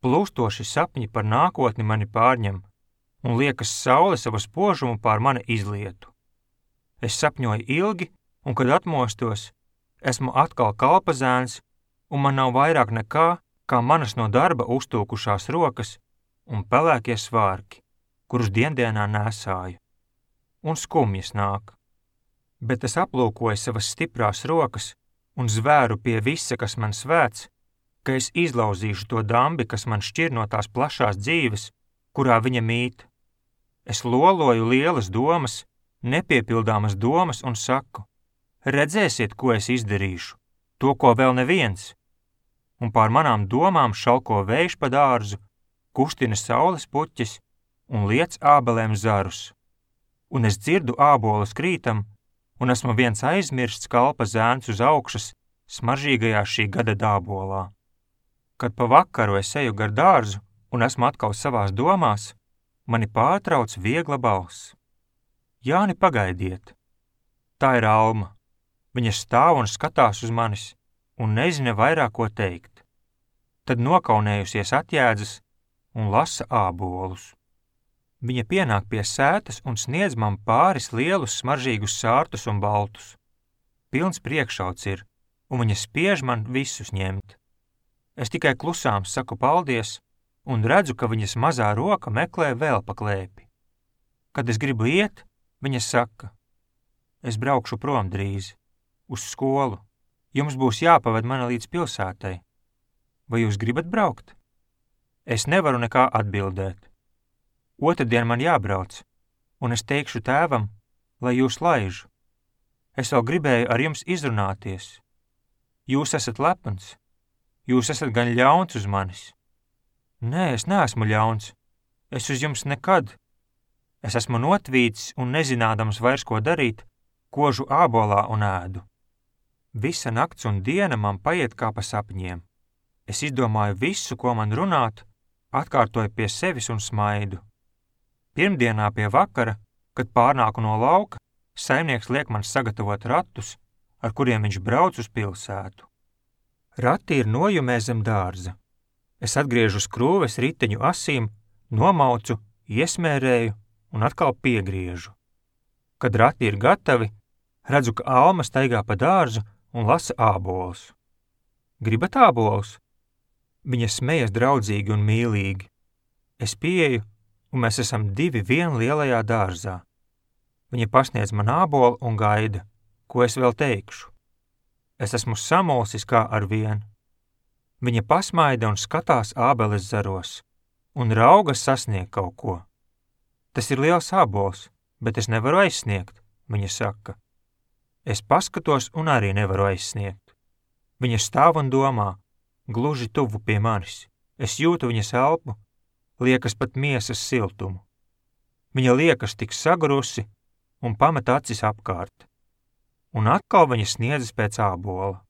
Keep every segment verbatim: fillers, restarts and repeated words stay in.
Plūstoši sapņi par nākotni mani pārņem, un liekas saule savu spožumu pār mani izlietu. Es sapņoju ilgi, un kad atmostos, esmu atkal kalpazēns, un man nav vairāk nekā, kā manas no darba uztūkušās rokas un pelēkie svārki, kurus diendienā nesāju. Un skumjas nāk. Bet es aplūkoju savas stiprās rokas un zvēru pie visa, kas man svēts, ka es izlauzīšu to dambi, kas man šķir no tās plašās dzīves, kurā viņa mīt. Es loloju lielas domas, nepiepildāmas domas un saku, redzēsiet, ko es izdarīšu, to, ko vēl neviens. Un pār manām domām šalko vējš pa dārzu, kustina saules puķis un liec ābelēm zarus. Un es dzirdu ābolus krītam, un esmu viens aizmirsts kalpa zēns uz augšas smaržīgajā šī gada dābolā. Kad pa vakaru es eju gar dārzu un esmu atkal savās domās, mani pārtrauc viegla balss. Jāni, pagaidiet! Tā ir Alma. Viņa stāv un skatās uz manis un nezina vairāk ko teikt. Tad nokaunējusies atjēdzas un lasa ābolus. Viņa pienāk pie sētas un sniedz man pāris lielus smaržīgus sārtus un baltus. Pilns priekšauts ir, un viņa spiež man visus ņemt. Es tikai klusām saku paldies un redzu, ka viņas mazā roka meklē vēl pa klēpi. Kad es gribu iet, viņa saka, es braukšu prom drīz, uz skolu. Jums būs jāpaved mani līdz pilsētai. Vai jūs gribat braukt? Es nevaru nekā atbildēt. Otrdien man jābrauc, un es teikšu tēvam, lai jūs laižu. Es vēl gribēju ar jums izrunāties. Jūs esat lepns. Jūs esat gan ļauns uz manis. Nē, es neesmu ļauns. Es uz jums nekad. Es esmu notvīcis un nezinādams vairs, ko darīt, kožu ābolā un ēdu. Visa nakts un diena man paiet kā pa sapņiem. Es izdomāju visu, ko man runāt, atkārtoju pie sevis un smaidu. Pirmdienā pie vakara, kad pārnāku no lauka, saimnieks liek man sagatavot ratus, ar kuriem viņš brauc uz pilsētu. Rati ir nojumē zem dārza. Es atgriežu skrūves riteņu asīm, nomaucu, iesmērēju un atkal piegriežu. Kad rati ir gatavi, redzu, ka Alma staigā pa dārzu un lasa ābolus. Gribat ābolus? Viņa smejas draudzīgi un mīlīgi. Es pieeju, un mēs esam divi vien lielajā dārzā. Viņa pasniedz man ābolu un gaida, ko es vēl teikšu. Es esmu samulsis kā ar vienu. Viņa pasmaida un skatās ābeles zaros, un raugas sasniegt kaut ko. Tas ir liels ābols, bet es nevaru aizsniegt, viņa saka. Es paskatos un arī nevaru aizsniegt. Viņa stāv un domā, gluži tuvu pie manis. Es jūtu viņas elpu, liekas pat miesas siltumu. Viņa liekas tik sagurusi un pamet acis apkārt. Un atkal viņa sniedzas pēc ābola.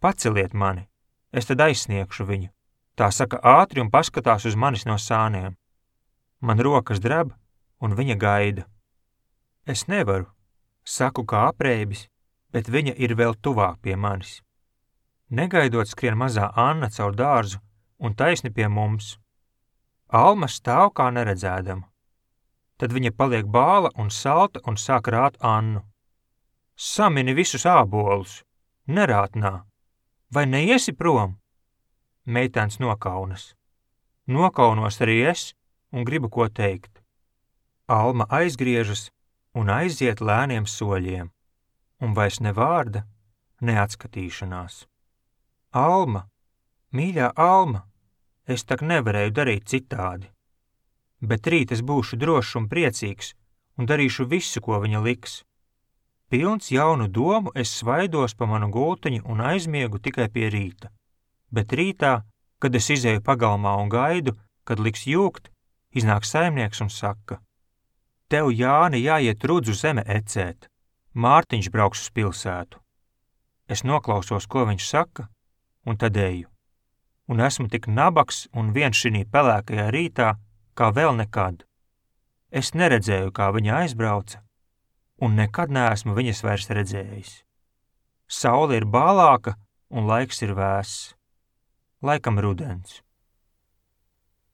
Paceliet mani, es tad aizsniegšu viņu. Tā saka ātri un paskatās uz manis no sāniem. Man rokas dreb, un viņa gaida. Es nevaru, saku kā apreibis, bet viņa ir vēl tuvāk pie manis. Negaidot skrien mazā Anna caur dārzu un taisni pie mums. Alma stāv kā neredzēdama. Tad viņa paliek bāla un salta un sāk rāt Annu. Samini visus ābolus, nerātnā. Vai neiesi prom? Meitēns nokaunas. Nokaunos arī es un gribu ko teikt. Alma aizgriežas un aiziet lēniem soļiem, un vairs ne vārda, ne atskatīšanās. Alma, mīļā Alma, es tak nevarēju darīt citādi. Bet rīt es būšu drošs un priecīgs un darīšu visu, ko viņa liks. Pilns jaunu domu es svaidos pa manu gultiņu un aizmiegu tikai pie rīta. Bet rītā, kad es izēju pagalmā un gaidu, kad liks jūgt, iznāk saimnieks un saka: Tev, Jāni, jāiet Rudzu zeme ecēt. Mārtiņš brauks uz pilsētu. Es noklausos, ko viņš saka, un tad eju. Un esmu tik nabaks un viens šinī pelēkajā rītā, kā vēl nekad. Es neredzēju, kā viņa aizbrauca, un nekad neesmu viņas vairs redzējis. Saule ir bālāka un laiks ir vēss. Laikam rudens.